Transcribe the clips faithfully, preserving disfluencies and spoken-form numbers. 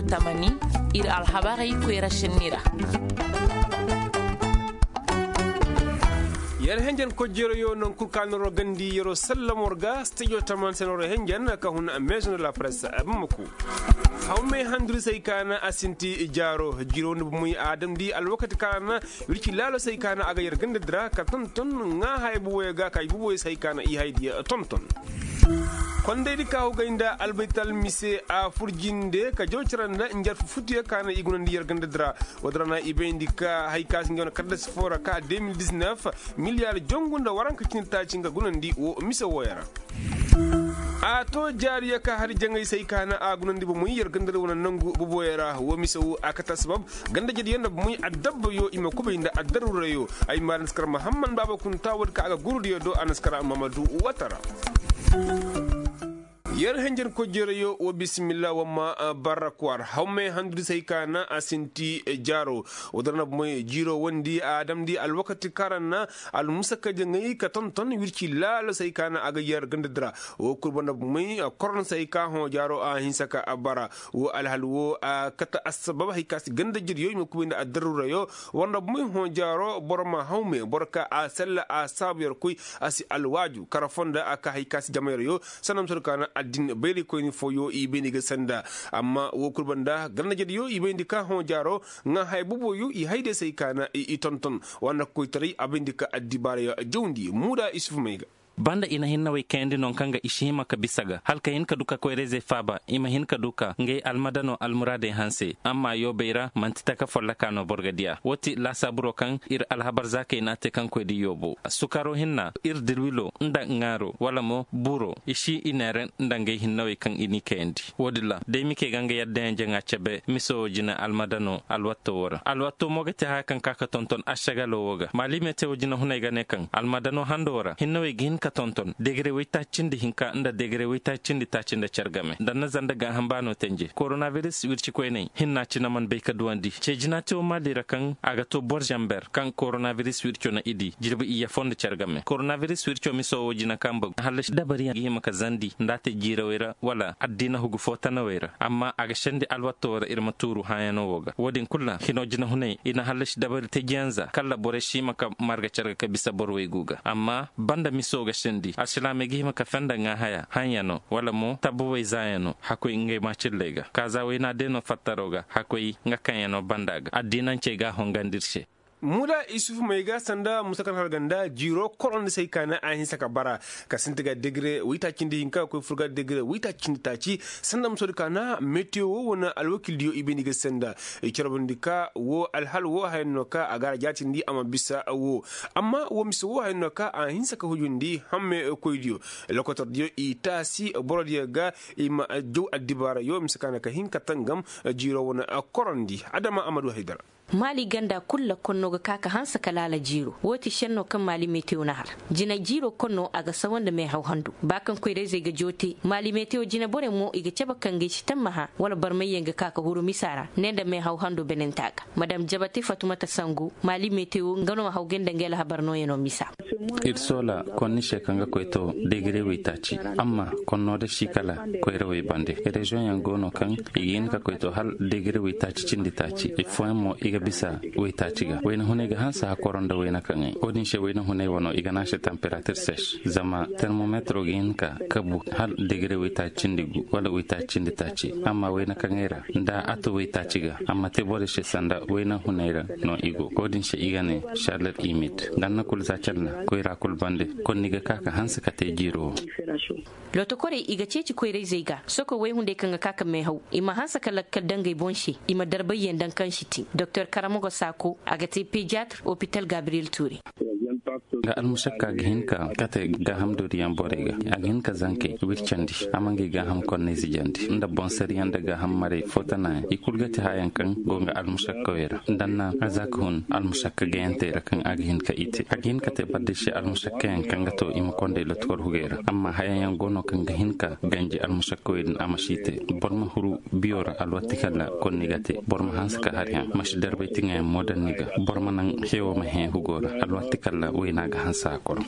Tamani, ir alhabarey koyra senni ra. Yer henjen kojjero yo non kul ka noro gandi yero sallamor ga studio taman senoro henjen ka hun maison de la presse bamako. Hawme handuri sai kana asinti jaro jiro nda bumuy adam di alwakati kana wirki lalo sai kana aga yer ganda dira ka tonton nga hay buboy ga kay buboy sai kana i hay diya tonton. Kondaydi ka hugay nda albaytal mise a furjinde ka jawcaranda njarfu futuye ka na i gunandi yer ganda dira. Wada ra na i bayndi ka hay ka si nge wane kaddasi fo ra ka deux mille dix-neuf miliyar jongu nda waranka cindi taaci nga gunandi wo mise wooyo ra. A to jaariyo ka hari jaŋay se ay ka na a gunandi bomoy yer ganda dira wane nangu boboyo ra wo mise wo a kate assabab ganda jediyo nda bomoy addabbayo i ma kubay nda addaruurayo. Ay ma ra naskar mahamman baaba kunta woodi ka a ga gurudiyo do a naskar mamadu watara. Yer henjen kojjerayo wo bisimilla wamma barrakwar hawmey handudi se ay ka na a sinti jaaro. Wodora na bomoy jiiro wondi a damndi alwakati kaŋ ra na almusakka jaŋay ka tonton wirci laalo se ay ka na a ga yer ganda dira. Wo kul banda bomoy koron se ay ka hõ jaaro a hinsa ka bara. Wo alhal wo a kate assabab hay ka si ganda jiryo i ma kubay nda addaruurayo. Wanda bomoy hõ jaaro boro ma hawme boro ka a sella a saabu yer koy. A si alwaaju kara fonda a ka hay ka si jama yer yo. Sanda ma soodi ka na addin bayraykoyni fooyo i bayndi ga sanda. Amma wo kul banda ganda jediyo i bayndi ka hõ jaaro. Ŋaa haya boboyo i hay day se ay ka na i tonton. Wanda koytaray a bayndi ka addibaaraya jawndi muuda isuf may ga. Banda i na hinnawey kayandi non kaŋ ga i si hima ka bisa ga hala ka hin ka du ka koyrayzey faaba i ma hin ka du ka ngey almadano almuraadey hanse. Amma yoobey ra manti taka folloka no boro ga diya wo ti laasaaburo kaŋ ir alhabar zaakey n'a te kaŋ koy di yoobo sukaro hinna ir dirwilo nda ŋaaro wala mo buro i si i neere nda ngey hinnawey kaŋ i n'i kayandi. Wo-din ra day mike ga nga yaddayaŋ jaŋa cebe miso wo jine almadano alwatto wo ra alwatto mo ga te haya kaŋ ka ka tonton ašagalo wo ga maali mete wo jinahuney ga ne kaŋ almadano hando wo ra hinnawey ga hin ka tonton degere waytaaci cindi hinka nda degere waytaaci cindi taaci nda care game nda na zanda gaaham baano tenje koronabiris wircikoyney hinna cine man bay ka duwandi ce jina te wo maali ra kaŋ a ga to boro zamber kaŋ koronabiris wirco na i di jirbi iyye fo nda care game koronabiris wirco miso wo jina kaŋ bagu hallasi dabariyaŋ ga hima ka zandi nda a te jiirawey ra wala addiina hugu fo tanawey ra amma a ga sendi alwatto ra ir ma tuuru hãyano wo ga wo-din kul ra hino jinahuney i na hallasi dabari tejiyaŋ za kala borey si hima ka marga care ga ka bisa boro waygu ga amma banda miso ga sendi alsilaamey ga hima ka fenda ŋaa haya hãyano wala mo tabbawey zaayano hakkoy ngey maacilley ga kaaza wayna day no fattaro ga hakkoy nga kaŋyano banda ga addiinancey ga a hongandi ir se. Muuda isuf may ga sanda musa kaŋ har ganda jiiro korondi se ay ka na a hinsa ka bara ka sinti ga degere waytaaci cindi hinka ga koy fur ga degere waytaaci cindi taaci. Sanda musa di ka na metiyo wo wane alwakildiyo i bayndi ga sanda i carbundi ka wo alhal wo haya no ka a ga a ra jaatindi a ma bisa wo. Amma wo mise wo haya no ka a hinsa ka hujundi hamme koydiyo lokotordiyo i taasi borodiyo ga i ma jaw addibaarayo mise ka na ka hin ka tangam jiiro wane korondi adama amadu haydara. Maali ganda kul ra konno ga ka ka hanse ka laala jiiro wo ti šenno kaŋ maali metewo na har jina jiiro konno a ga sawa nda meehaw handu ba kaŋ koyrayzey ga joote maali metewo jina borey mo i ga cabe kaŋ ga ay si tammaha wala barmayyaŋ ga ka ka huru misa ra ne nda meehaw hando benenta ga madam jabate fatumata sango maali metewo nga no ma hawgay nda nga alhabar nooyano misa. Ir soola konni se kaŋ ga koy to degere waytaaci amma konno da si kala koyrawey bande reziyoŋ yaŋ go no kaŋ i ga hin ka koy to hala degere waytaaci cindi taaci ifooyaŋ mo i ga bisa waytaaci ga wayna hunay ga hanse hakoro nda wayna kaŋay wo-din se wayna hunay wano i ga ne a se tamperatir sec zama termometro ga hin ka kabu hala degere waytaaci cindi gu wala waytaaci cindi taaci amma wayna kaŋay ra nda a to waytaaci ga amma te borey se sanda wayna hunay ra no i go wo-din se i ga ne šaler imid danna kul za calna koyra kul bande konni ga ka ka hanse ka te jiiro wo. Lotokorey i ga ceeci koyrayzey ga soko wayhunday kaŋ ga ka ka meehaw i ma hanse ka lakkal dangey boŋ se i ma darbayyaŋ daŋ kaŋ si tin doktor karamogo saako a ga te pediatre opital gabriyel tuure. Nga almusakka ga hin ka kate gaaham dooriyaŋ borey ga a ga hin ka zankey wircandi a ma ngey gaaham konney zijandi nda boŋsariyaŋ nda gaaham marey footanaayaŋ i kul ga te hayaŋ kaŋ go nga almusakkawey ra nda anna a za ka hun almusakka gayantey ra kaŋ a ga hin ka i te a ga hin ka te barday se almusakkayaŋ kaŋ ga to i ma konday lotkor hugey ra amma hayaŋ yaŋ go no kaŋ ga hin ka ganji almusakkawey din a ma si te boro ma huru biyo ra alwatti kala konni ga te boro ma hanse ka hari haŋ ma si der. Bay ti ŋaayaŋ moodar ni ga boro ma naŋ hewo ma hẽ hugo ra alwaati kalla wayna ga hansa a koro.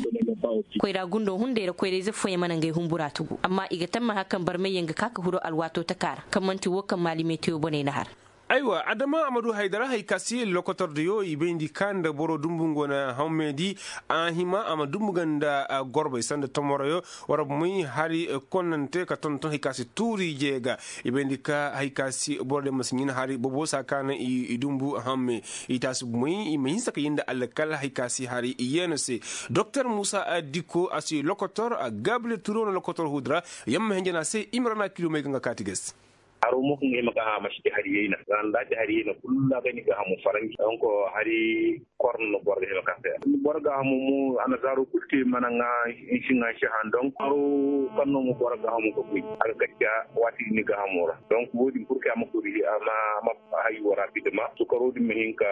Koyra gundo hunday ra koyra ize fooyaŋ mana ngey humbura tugu amma i ga tamma hakan barmay yaŋ ga ka ka huru alwaato taka ra kaŋ man'ti wo kaŋ maali metewo boney na har. Aywa adama a ma du haydara hay ka si lokotor diyo i bayndi ka nda boro dumbu ngo na hammey di. A hima a ma dumbu ga nda gorbey sanda tomoroyo. War bumey hari konnante ka tonton hay ka si tuuri jeega. I bayndi ka hay ka si boro de ma si ɲin hari bobo sa ka na i dumbu hamme. I taasi bumey i ma hinsa ka yinda alkal hay ka si hari i yeena se. Doktor muusa dikko a si lokotor gaabile turo na lokotor huudra. Yamma henjana se imrana kilomey ga nga kaati ga se. Haro mo kaŋ ga hima ga hama si te hari yayna za nda te hari yayna kulu a ga ni ga hamu faranji donko hari korno boro ga hima ka se. Boro ga hamu mo annasaaro kulu te mana ŋa. Nsi ŋa nsi han donko haro kaŋ no mo boro ga hamu ga koy a ga kacca waati ni ga hamo ra donko wo- din kulu kay a ma kuri a ma a ma hayo ra bidama sukaro din ma hin ka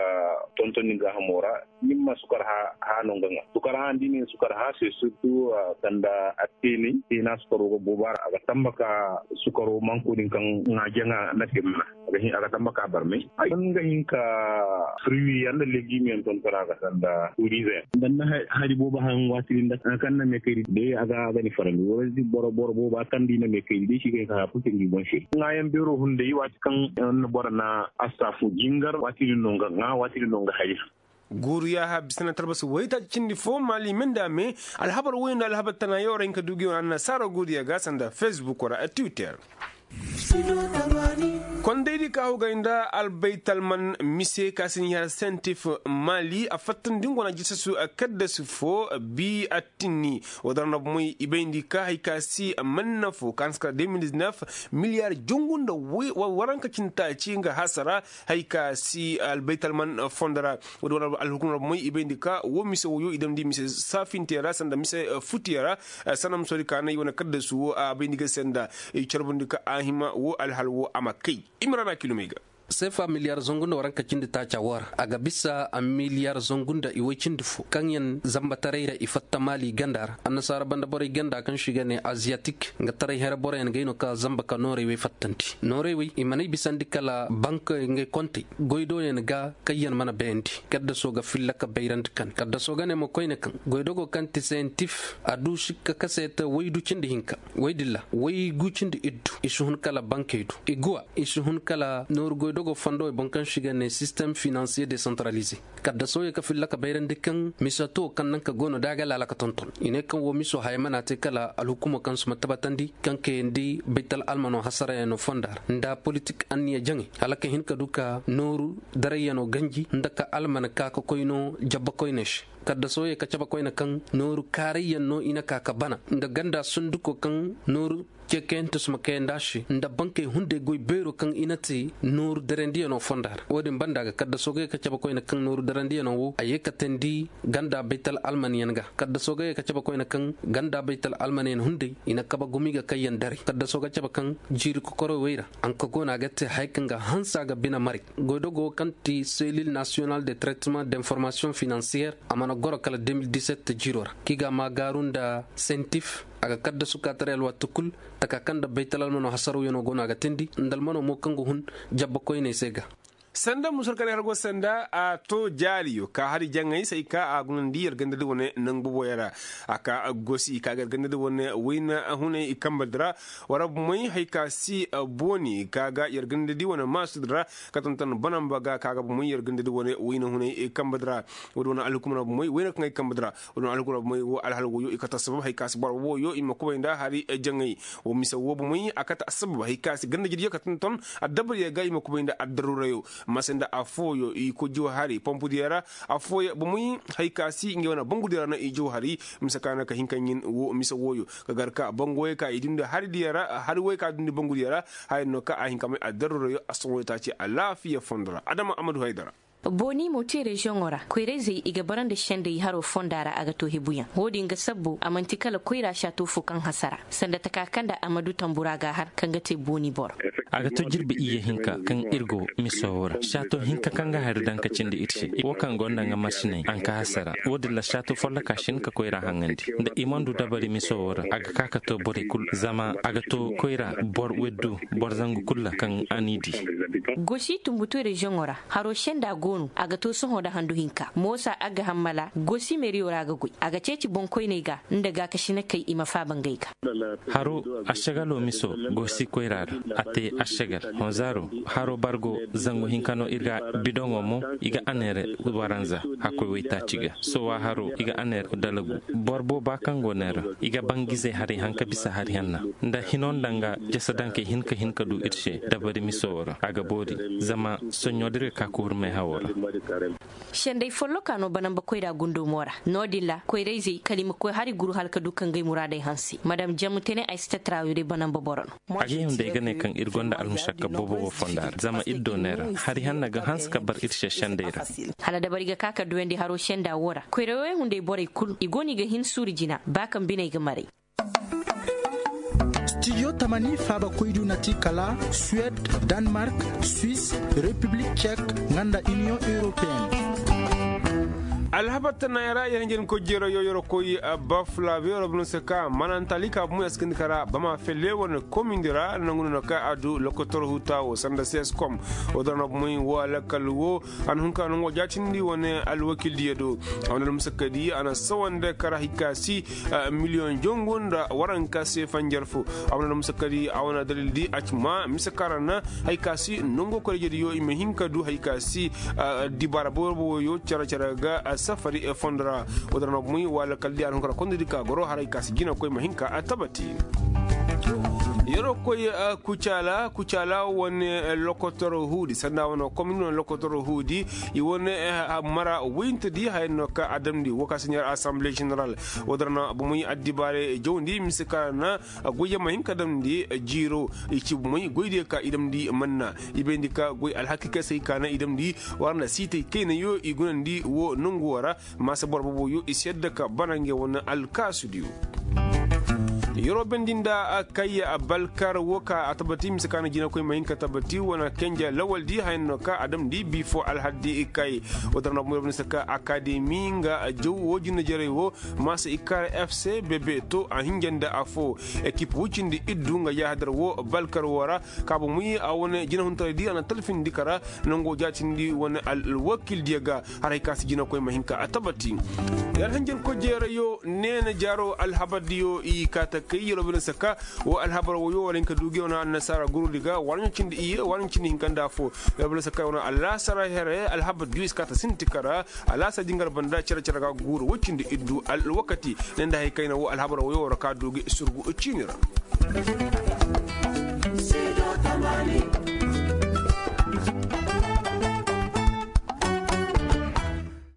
tonton ni ga hamo ra. Ni ma sukar ha ha no nga nga sukar ha ndi ne sukar ha se surtu kanda a teni tena sukaro ga boba ra a ga tamba ka sukaro manko din kaŋ nga jaŋa na te mana a ga tamba ka barmay ay nga hin ka fruit yaŋ da legime yaŋ ton kara ga sanda turize yaŋ. Banda hari boba han wati din da kan na me kayri de a ga a ga ni farandi wala boro boro boba kan di na me kayri de shi ga ka hafu tindi bon shi nga yaŋ bero hunday wati kan na boro na asafu jingar wati din no nga nga wati din no nga hari. Guuriya ha bisana talbasi waytaaci cindi fo maali menda me. Alhabar woy nda alhabar tana yaw ra hinka duugi wane annasaara guuriya ga sanda facebook wara twitter. Kondaydi ka hogay nda albaytalman mise ka si ni har sentif maali a fattandi ngo na jisasu kaddasu fo bi attinni. Wodara na bomey i bayndi ka hay ka si manna fo ka hansi kala deux mille dix-neuf miliyar jongu nda waranka cindi taaci nga hasara. Hay ka si albaytalman fondo ra. Woodi wane alhukumar bomey i bayndi ka wo mise woyo i damndi mise saafintey ra sanda mise futiyey ra. Sanda musoodi ka nay wane kaddasu wo a bayndi ga se nda i carbundi ka a hima wo alhal wo a ma kay. Imrana kilomey ga. Seefa miliyar zangu nda waranka cindi taaca wo ra a ga bisa a miliyar zangu nda iway cindi fo kaŋ yaŋ zambataray ra i fatta maali ganda ra annasaara banda borey ganda kaŋ se i ga ne aziyatik nga taray here boroyaŋ ga ay no ka zamba ka nooray wey fattandi nooray wey i man'ay bisandi kala bank ngey kontey goydoyaŋ ga kaŋ yaŋ mana bayandi. Kaddaso ga filla ka bayrandi kande kaddaso ga ne mo koyne kaŋ goydogo kaŋ ti sentif a du sikka kaseeta waydu cindi hinka waydilla waygu cindi iddu i si hun kala bankey du iguwa i si hun kala nooru goydogo fondowey boŋ kaŋ se i ga ne sistem finansiye desantaralize. Kaddaso ye ka filla ka bayrandi kaŋ misato kaŋ naŋ ka go no da a ga laala ka tonton i ne kaŋ wo miso haya mana te kala alhukumo kaŋ suma tabatandi kaŋ kayandi baytal almano hasarayaŋo fonda ra nda politik anniya jaŋay hala ka hin ka du ka nooru darayyaŋo ganji nda ka almana ka ka koy no jabba koyney se. Kaddaso ye ka cabe koyne kaŋ nooru kaarayyaŋ no i na ka ka bana nda ganda sunduko kaŋ nooru cekayante suma kayandi a se nda bankey hunday goy beero kaŋ i na te nooru darandiyaŋo fonda ra wo-din banda ga kaddaso ga ye ka cabe koyne kaŋ nooru darandiyaŋo wo a ye ka teendi ganda baytal almanyaŋ ga kaddaso ga ye ka cabe koyne kaŋ ganda baytal almanyaŋ hunday i na kabe gumi ga kayyaŋ daray kaddaso ga cabe kaŋ jiiri kokoro wey ra. Hanka go no a ga te haya kaŋ ga hanse a ga bine maray goydogo kaŋ ti selil nasiyonal de traitement d'information finansiyer a mana goro kala deux mille dix-sept jiiro ra kaŋ i ga a maagaaru nda sentif a ga kaddasu kaataray alwaati kul taka kaŋ nda baytal almano hasarawyaŋo go no a ga teendi nda almano mo kaŋ ga hun jabba koyney se ga. Sanda musa war ka ne har go sanda a to jaariyo ka hari jaŋay se ay ka a gunandi yer gandadi wane nangu boboyaŋ ra a ka gosi ka ga yer gandadi wane wayna hunay i kambadi ra. War bumey hay ka si booni ka ga yer gandadi wane maasudi ra ka tonton banamba ga ka ga bumey yer gandadi wane wayna hunay i kambadi ra. Woodi wane alhukumar bumey wayna kaŋ ay kambadi ra woodi wane alhukumar bumey wo alhal woyo i kata sabab hay ka si boro woyo i ma kubay nda hari jaŋay. Wo mise wo bumey a kata sabab hay ka si gandajediyo ka tonton addabaryo ga i ma kubay nda addarurayo. Mase nda affooyo i koy jaw hari pompudiyo ra affooyo bumey hay ka si ngey wane bangudiyo ra no i jaw hari. Mise ka no ka hin ka ɲin wo mise woyo ka gar ka banguwey ka i dundi haridiyo ra hari wey ka dundi bangudiyo ra. Haya no ka a hin ka may addarurayo a soŋoyo taaci alaafiya fondo ra adama amadu haydara. Booni mo te reziyoŋo ra koyra-izey i ga bara nda sendey haro fonda ra a ga to hebuyaŋ wo-din ga sabbu a man'ti kala koyra saato fo kaŋ hasara sanda taka kaŋ nda a ma du tambura ga a har kaŋ ga te booni boro. A ga to jirbi iyye hinka kaŋ ir go miso wo ra saato hinka kaŋ ga hari daŋ ka cindi ir se wo kaŋ go nda nga marsiney a nka hasara. Wo-din ra saato folloka si hin ka koyra haŋandi nda i mana du dabari miso wo ra a ga ka ka to borey kulu zama a ga to koyra boro weddu boro zangu kulu ra kaŋ a n'i di. Gosi tumbutu reziyoŋo ra haro senda go. A ga to sohõ nda handu hinka moosa a ga hammala gosi meeriyo ra a ga goy a ga ceeci boŋkoyney ga nda gaakasinakey i ma faaba ngey ga. Haro, ašagalo miso gosi koyra ra. A te ašagal honzaaro. Haro bargo zangu hinka no ir ga bidoŋo mo i ga aneere waranza. Hakkoy waytaaci ga sowa haro i ga aneere dalagu. Boro booba kaŋ go neera i ga bangizey hari hanka bisa hari hanna nda hino nda nga jasadankey hin ka hin ka du ir se dabari miso wo ra a ga boori. Zama soɲɲo da ir ga ka kuuru meehawo ra. Sendey folloka no banamba koyra gundo mo ra no- din ra koyrayzey kala i ma koy hari guru hala ka du ka ngey muraadey hanse madam jamu tene ay si tattara wo day banamba boro no. A ga yaw nda ay ga ne kaŋ ir gonda almušakka boobo wo fonda ra zama ir do neera hari hanna ga hanse ka bar ir se sendey ra. Hala dabari ga ka ka duyandi haro senda wo ra koyra wo yaŋ hunday borey kulu i go no i ga hin suuru jina ba kaŋ biney ga maray. Studio tamani faabakoydu na ti kala suwed, danmark, swis, repiblik cek, nga nda iniyoŋ europeen. Alhabar tanaaya ra yer hinjin koy jeero yo yer koy bafla beero bino se ka manantali ka bumo yaskandi kara bama felle wane komindi ra nangu no ka a du lokotor huta wo sanda seskom. Wo dara na bumey wo alakal wo a na hun ka nango jaatindi wane alwakildiyo do. A wane almusakadi a na sawande kara hikasi miliyoŋ jongu nda waranka se fanjar fo. A wane almusakadi a wane dalildi a ci ma mise kara na hari ka si nango korejediyo i ma hin ka du hari ka si dibaara boobo woyo care care ga safari fondo ra. Wo dara na bumey wo alkaldi a na hun ka ra kondodi ka goro haray ka si jina koy ma hin ka a tabati. Yeroo koy kucaala kucaala wane lokotor huudi sanda wane komini wane lokotor huudi. I wane mara wayintedi haya no ka a damndi wo ka si ɲaar asamble ženeral. Wo dara na bumey addibaare jawndi mise ka ra na goyyaŋ ma hin ka damndi jiiro. I ci bumey goydiyo ka i damndi manna i bayndi ka goy alhakiikey se hay ka na i damndi war nda siitey kaynayo i gunandi wo nongu wo ra. Maasa boro booboyo i si yadda ka bana ngey wane alkaasudiyo. Yeroo bendi nda kay balkar wo ka a tabati mise ka na jinakoy ma hin ka tabati wane kenja lawaldi haya no ka a damndi bi fo alhaddi kay. Wo dara na bumey wo bine se ka akademi nga jaw wo jinne jarey wo maasa i kar fc bebe to a hinja nda afo. Ekip woy cindi iddu nga yaahadar wo balkar wo ra ka bumey a wane jinahuntaraydi a na talfindi kara nango jaatindi wane alwakildiyo ga. Haray ka si jinakoy ma hin ka a tabati. Yer hanjankoy jeerayo neena jaaro alhabardiyo i kaa ta kay yeroo bine se ka wo alhabar woyo wala hin ka du gi wane annasaara gurudi ga waranɲo cindi iyye waranɲo cindi hinka nda afo. Yeroo bine se ka wane alaasara here alhabardiyo i si kaa ta sinti kara alaasara jingar banda care care ga guuru woy cindi iddu alwakati ne nda hari kayna wo alhabar woyo wara ka du gi surgu ciini ra.